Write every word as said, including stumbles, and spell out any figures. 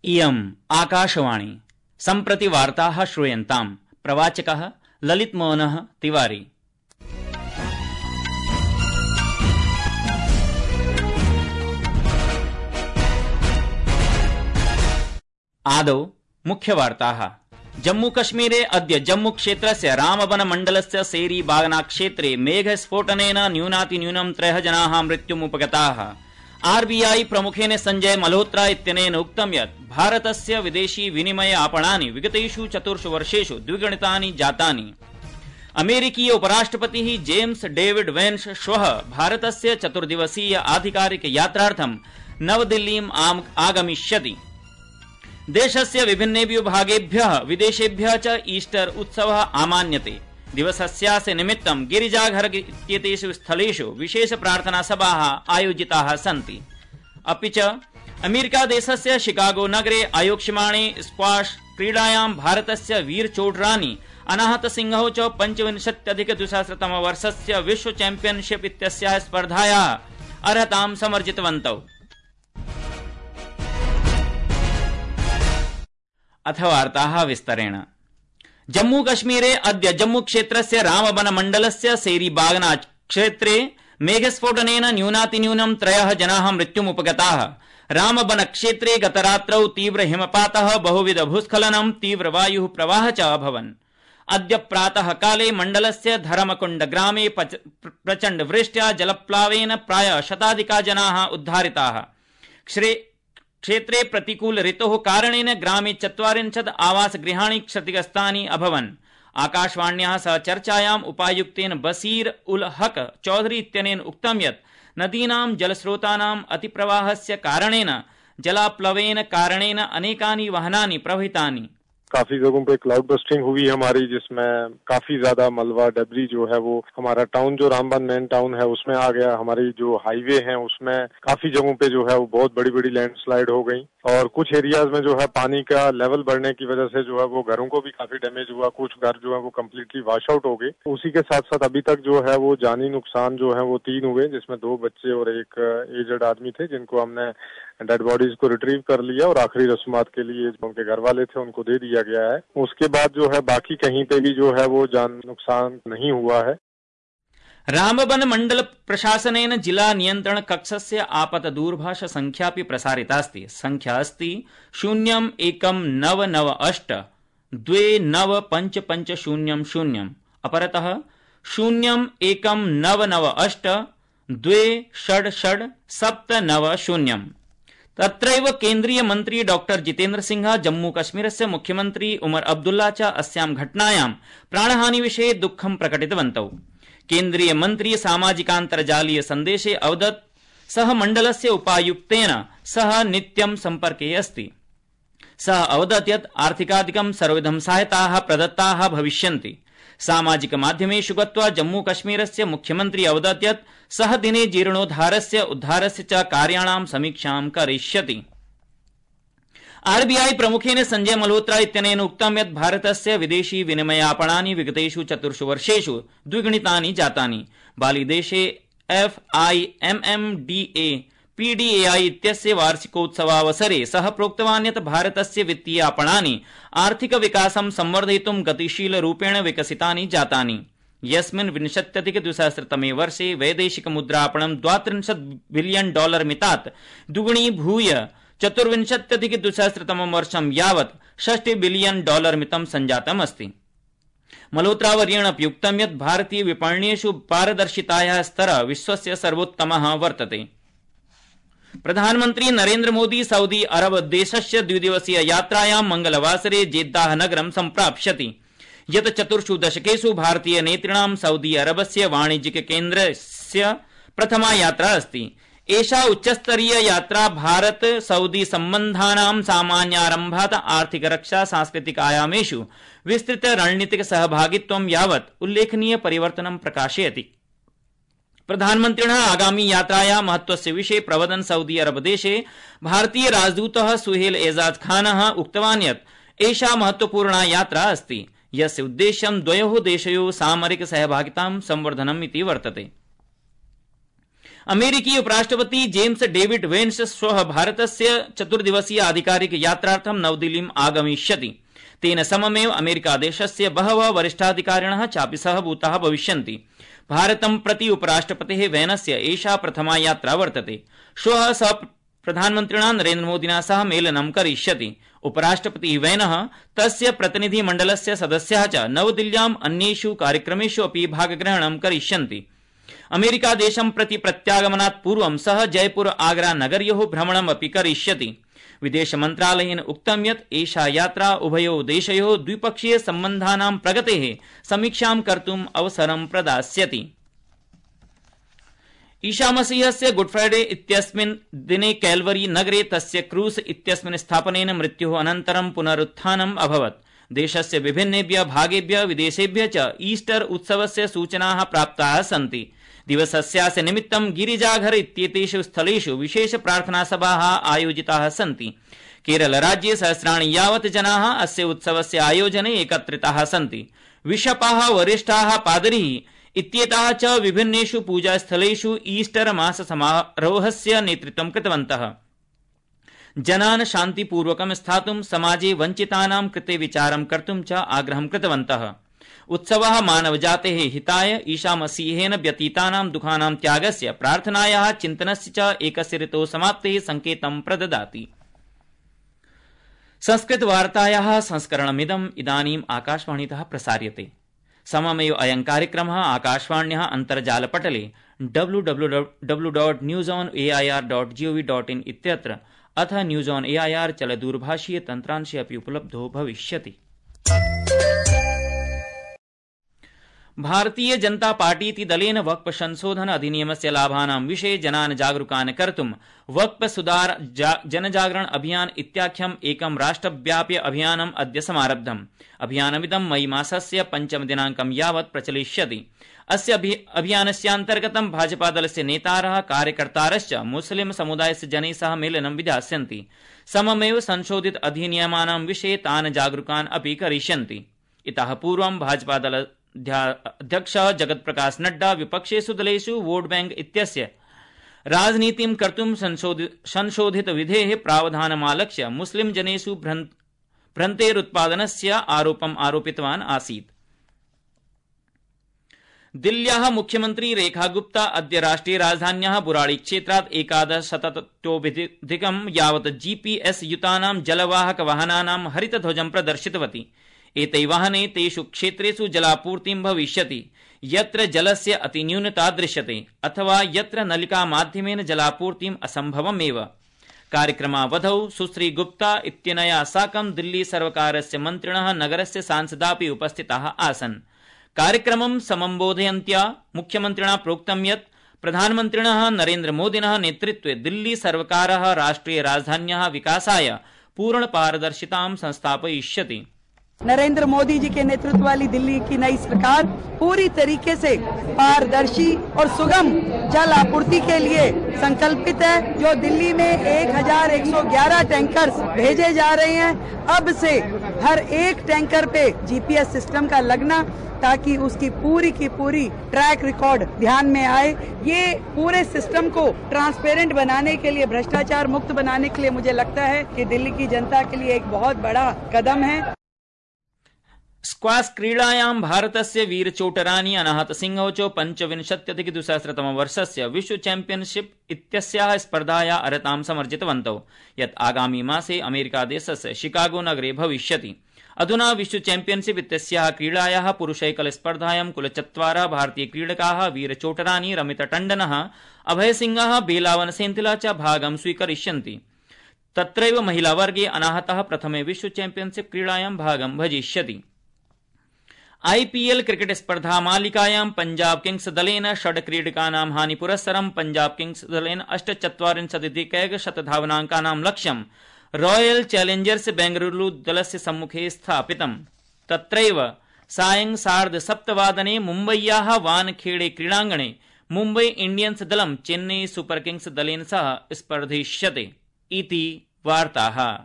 इयम् आकाशवाणी सम्प्रति वार्ताः श्रूयन्ताम्। प्रवाचकः ललितमोहनः तिवारी। आदौ मुख्यवार्ताः। जम्मूकश्मीरे अद्य जम्मूक्षेत्रस्य रामबनमण्डलस्य सेरी बागना क्षेत्रे मेघस्फोटनेन न्यूनातिन्यूनं त्रयः जनाः मृत्युमुपगताः। आरबीआई प्रमुखेन संजय मल्होत्रा इत्यनेन उक्तं यत् भारतस्य विदेशी विनिमय आपणानि विगतेषु चतुर्षु वर्षेषु द्विगुणितानि जातानि। अमेरिकीय उपराष्ट्रपतिः जेम्स डेविड वेन्स श्वः भारतस्य चतुर्दिवसीय आधिकारिक यात्रार्थं नवदिल्लीम् आगमिष्यति। देशस्य विभिन्नेभ्यो भागेभ्यः विदेशेभ्यः च ईस्टर उत्सवः आमान्यते। दिवसस्यास्य निमित्तं गिरिजाघर इत्येतेषु स्थलेषु विशेष प्रार्थना सभाः आयोजिताः सन्ति। अपि च अमेरिका देशस्य शिकागो नगरे आयोक्ष्यमाणे स्क्वाश क्रीडायां भारतस्य वीर चोडरानी अनाहत सिंहौ च पञ्चविंशत्यधिक द्विसहस्रतम वर्षस्य विश्व चैम्पियनशिप इत्यस्याः स्पर्धायाः अर्हतां समर्जितवन्तौ। अथ वार्ताः विस्तरेण। जम्मू कश्मीरे अद्य जम्मू क्षेत्रस्य रामबनमण्डलस्य सेरीबागना क्षेत्रे मेघस्फोटनेन न्यूनातिन्यूनं त्रयः जनाः मृत्युमुपगताः। रामबन क्षेत्रे गतरात्रौ तीव्र हिमपातः, बहुविध भूस्खलनं, तीव्र वायुः प्रवाहः च अभवन्। अद्य प्रातः काले मण्डलस्य धरमकुण्ड ग्रामे प्रचण्ड वृष्ट्या जलप्लावेन प्रायः शताधिका जनाः उद्धारिताः। क्षेत्रे प्रतिकूल ऋतोः कारणेन ग्रामे चत्वारिंशत् आवासगृहाणि क्षतिग्रस्तानि अभवन्। आकाशवाण्याः सह चर्चायाम् उपायुक्तेन बसीर उल हक चौधरी इत्यनेन उक्तं यत् नदीनां जलस्रोतानाम् अतिप्रवाहस्य कारणेन जलाप्लवेन कारणेन अनेकानि वाहनानि प्रभावितानि। काफी जगहों पे क्लाउड बस्टिंग हुई हमारी, जिसमें काफी ज्यादा मलबा डबरी जो है वो हमारा टाउन जो रामबन मेन टाउन है उसमें आ गया। हमारी जो हाईवे है उसमें काफी जगहों पे जो है वो बहुत बड़ी बड़ी लैंडस्लाइड हो गई और कुछ एरियाज में जो है पानी का लेवल बढ़ने की वजह से जो है वो घरों को भी काफी डैमेज हुआ। कुछ घर जो है वो कम्प्लीटली वॉश आउट हो गए। उसी के साथ साथ अभी तक जो है वो जानी नुकसान जो है वो तीन हुए, जिसमें दो बच्चे और एक एजड आदमी थे जिनको हमने डेड बॉडीज को रिट्रीव कर लिया और आखिरी रस्मात के लिए उनके घर वाले थे उनको दे दिया गया है। उसके बाद जो है बाकी कहीं पे भी जो है वो जान नुकसान नहीं हुआ है। रामबन मण्डल प्रशासनेन जिला नियन्त्रण कक्षस्य आपत दूरभाष संख्यापि प्रसारितास्ति। संख्या अस्ति शून्यम् एकं नव नव अष्ट द्वे नव पञ्च पञ्च शून्यं शून्यम्। अपरतः शून्यम् एकं नव नव अष्ट द्वे षड् षड् सप्त नव शून्यम्। तत्रैव केन्द्रीय मन्त्री डॉक्टर जितेन्द्र सिंह, जम्मू कश्मीरस्य मुख्यमन्त्री उमर अब्दुल्ला च अस्यां घटनायां प्राणहानि विषये दुःखं प्रकटितवन्तौ। केन्द्रीय मन्त्री सामाजिकान्तर्जालीय सन्देशे अवदत् सः मण्डलस्य उपायुक्तेन सह नित्यं सम्पर्के अस्ति। सः अवदत् यत् आर्थिकादिकं सर्वविधं सहायताः प्रदत्ताः भविष्यन्ति। सामाजिक माध्यमेषु गत्वा जम्मू कश्मीरस्य मुख्यमन्त्री अवदत् यत् सः दिने जीर्णोद्धारस्य उद्धारस्य च कार्याणां समीक्षां करिष्यति। आरबीआई प्रमुखेन संजय मल्होत्रा इत्यनेन उक्तं यत् भारतस्य विदेशी विनिमयापणानि विगतेषु चतुर्षु वर्षेषु द्विगुणितानि जातानि। बालीदेशे F I M M D A PDAI इत्यस्य वार्षिकोत्सवावसरे सः प्रोक्तवान् यत् भारतस्य वित्तीय आपणानि आर्थिक विकासं संवर्धयितुं गतिशीलरूपेण विकसितानि जातानि। यस्मिन् विंशत्यधिक द्विसहस्रतमे वर्षे वैदेशिक मुद्रापणं द्वात्रिंशत् बिलियन डॉलर मितात् द्विगुणीभूय चतुर्विंशत्यधिक द्विसहस्रतमं वर्षं यावत् षष्टि बिलियन डॉलर मितं सञ्जातम् अस्ति। मल्होत्रावर्येण अपि उक्तं यत् भारतीय विपण्येषु पारदर्शितायाः स्तरः विश्वस्य सर्वोत्तमः वर्तते। प्रधानमन्त्री नरेन्द्र मोदी सऊदी अरब देशस्य द्विदिवसीय यात्रायां मंगलवासरे जेद्दाह नगरं सम्प्राप्स्यति, यत् चतुर्षु दशकेषु भारतीय नेतृणां सऊदी अरबस्य वाणिज्यिक केन्द्रस्य प्रथमा यात्रा अस्ति। एषा उच्चस्तरीय यात्रा भारत सऊदी सम्बन्धानां सामान्यारम्भात् आर्थिक रक्षा सांस्कृतिक आयामेषु विस्तृत रणनीतिक सहभागित्वं यावत् उल्लेखनीय परिवर्तनं प्रकाशयति। प्रधानमन्त्रिणः आगामी यात्रायाः महत्वस्य विषये प्रवदन् सऊदी अरब देशे भारतीय राजदूतः सुहेल एजाज खानः उक्तवान् यत् एषा महत्वपूर्णा यात्रा अस्ति, यस्य उद्देश्यं द्वयोः देशयोः सामरिक सहभागितां संवर्धनम् इति वर्तते। अमेरिकीय उपराष्ट्रपति जेम्स डेविड वेन्स श्वः भारतस्य चतुर्दिवसीय आधिकारिक यात्रार्थं नवदिल्लीम् आगमिष्यति। तेन सममेव अमेरिकादेशस्य बहवः वरिष्ठाधिकारिणः चापि सहभूताः भविष्यन्ति। भारतं प्रति उपराष्ट्रपतेः वेनस्य एषा प्रथमा यात्रा वर्तते। श्वः सः प्रधानमन्त्रिणा नरेन्द्रमोदिना सह मेलनं करिष्यति। उपराष्ट्रपतिः वेनः तस्य प्रतिनिधिमण्डलस्य सदस्याः च नवदिल्ल्याम् अन्येषु कार्यक्रमेषु अपि भागग्रहणं करिष्यन्ति। अमेरिकादेशं प्रति प्रत्यागमनात् पूर्वं सः जयपुर आगरा नगर्योः भ्रमणम् अपि करिष्यति। विदेशमन्त्रालयेन उक्तं यत् एषा यात्रा उभयोः देशयोः द्विपक्षीय सम्बन्धानां प्रगतेः समीक्षां कर्तुम् अवसरं प्रदास्यति। ईशामसीहस्य गुड फ्राइडे इत्यस्मिन् दिने कैलवरी नगरे तस्य क्रूस इत्यस्मिन् स्थापनेन मृत्योः अनन्तरं पुनरुत्थानम् अभवत्। देशस्य विभिन्नेभ्यः भागेभ्यः विदेशेभ्यः च ईस्टर उत्सवस्य सूचनाः प्राप्ताः सन्ति। दिवसस्यास्य निमित्तं गिरिजाघर इत्येतेषु स्थलेषु विशेष प्रार्थनासभाः आयोजिताः सन्ति। केरलराज्ये सहस्राणि यावत् जनाः अस्य उत्सवस्य आयोजने एकत्रिताः सन्ति। बिशपाः, वरिष्ठाः पादरीः इत्येताः च विभिन्नेषु पूजास्थलेषु ईस्टर मास समारोहस्य नेतृत्वं कृतवन्तः। जनान् शान्तिपूर्वकं स्थातुं, समाजे वञ्चितानां कृते विचारं कर्तुं च आग्रहं कृतवन्तः। उत्सवः मानवजातेः हिताय ईशामसीहेन व्यतीतानां दुःखानां त्यागस्य, प्रार्थनायाः, चिन्तनस्य च एकस्य ऋतोः समाप्तेः संकेतं प्रददाति। संस्कृतवार्तायाः संस्करणमिदम् इदानीम् आकाशवाणीतः प्रसार्यते। सममेव अयं कार्यक्रमः आकाशवाण्याः अन्तर्जालपटले W W W dot news on A I R dot gov dot in इत्यत्र अथ news on A I R चलदूरभाषीय तन्त्रांशे अपि उपलब्धो भविष्यति। भारतीय जनता पार्टीति दलेन वक्फ संशोधन अधिनियमस्य लाभानां विषये जनान् जागरूकान् कर्तुं वक्फ सुधार जनजागरण अभियान इत्याख्यम् एकं राष्ट्रव्यापि अभियानम् अद्य समारब्धम्। अभियानमिदं मई मासस्य पञ्चम दिनाङ्कं यावत् प्रचलिष्यति। अस्य अभियानस्यान्तर्गतं भाजपादलस्य नेतारः, कार्यकर्तारश्च मुस्लिम समुदायस्य जनैः सह मेलनं विधास्यन्ति। सममेव संशोधित अधिनियमानां विषये तान् जागरूकान् अपि करिष्यन्ति। इतः पूर्वं भाजपादल अध्यक्षः जगत प्रकाश नड्डा विपक्षेषु दलेषु वोट बैंक इत्यस्य राजनीतिं कर्तुं संशोधित विधेः प्रावधानमालक्ष्य मुस्लिम जनेषु भ्रन्तेरुत्पादनस्य आरोपम् आरोपितवान् आसीत्। दिल्ल्याः मुख्यमन्त्री रेखा गुप्ता अद्य राष्ट्रिय राजधान्याः बुराड़ी क्षेत्रात् एकादशशततोऽधिकं यावत् जीपीएस युतानां जलवाहक वाहनानां हरितध्वजं प्रदर्शितवती। एतै वाहने तेषु क्षेत्रेषु जलापूर्तिं भविष्यति यत्र जलस्य अतिन्यूनता दृश्यते अथवा यत्र नलिका माध्यमेन जलापूर्तिम् असम्भवमेव। कार्यक्रमावधौ सुश्री गुप्ता इत्यनया साकं दिल्ली सर्वकारस्य मन्त्रिणः, नगरस्य सांसदापि उपस्थिताः आसन्। कार्यक्रमं समम्बोधयन्त्या मुख्यमन्त्रिणा प्रोक्तं यत् प्रधानमन्त्रिणः नरेन्द्रमोदिनः नेतृत्वे दिल्ली सर्वकारः राष्ट्रिय राजधान्याः विकासाय पूर्ण पारदर्शितां संस्थापयिष्यति। नरेंद्र मोदी जी के नेतृत्व वाली दिल्ली की नई सरकार पूरी तरीके से पारदर्शी और सुगम जल आपूर्ति के लिए संकल्पित है। जो दिल्ली में एक हजार एक सौ ग्यारह टैंकर्स भेजे जा रहे हैं, अब से हर एक टैंकर पे जीपीएस सिस्टम का लगना, ताकि उसकी पूरी की पूरी ट्रैक रिकॉर्ड ध्यान में आए। ये पूरे सिस्टम को ट्रांसपेरेंट बनाने के लिए, भ्रष्टाचार मुक्त बनाने के लिए मुझे लगता है कि दिल्ली की जनता के लिए एक बहुत बड़ा कदम है। स्क्वाश क्रीडायां भारतस्य वीरचोटरानी अनाहत सिंहो च पञ्चविंशत्यधिक द्विसहस्रतमवर्षस्य विश्व चैम्पियनशिप इत्यस्याः स्पर्धायाः अर्हतां समर्जितवन्तौ, यत् आगामी मासे अमेरिकादेशस्य शिकागो नगरे भविष्यति। अधुना विश्व चैम्पियनशिप इत्यस्याः क्रीडायाः पुरुषैकल स्पर्धायां कुल चत्वारः भारतीय क्रीडकाः वीरचोटरानी, रमितटण्डनः, अभयसिंहः, बेलावन सेन्थिला च भागं स्वीकरिष्यन्ति। तत्रैव महिलावर्गे अनाहतः प्रथमे विश्व चैम्पियनशिप क्रीडायां भागं भजिष्यति। आईपीएल क्रिकेट स्पर्धा मालिकायां पंजाब किंग्स दलेन षड् क्रीडकानां हानिपुरस्सरं पंजाब किंग्स दलेन अष्टचत्वारिंशदधिकैकशत धावनाङ्कानां लक्ष्यं रॉयल चैलेंजर्स बेंगलुरु दलस्य सम्मुखे स्थापितम्। तत्रैव सायं सार्ध सप्तवादने मुम्बय्याः वानखेड़े क्रीडाङ्गणे मुम्बई इंडियन्स दलं चेन्नई सुपर किंग्स दलेन सह स्पर्धिष्यते इति वार्ताः।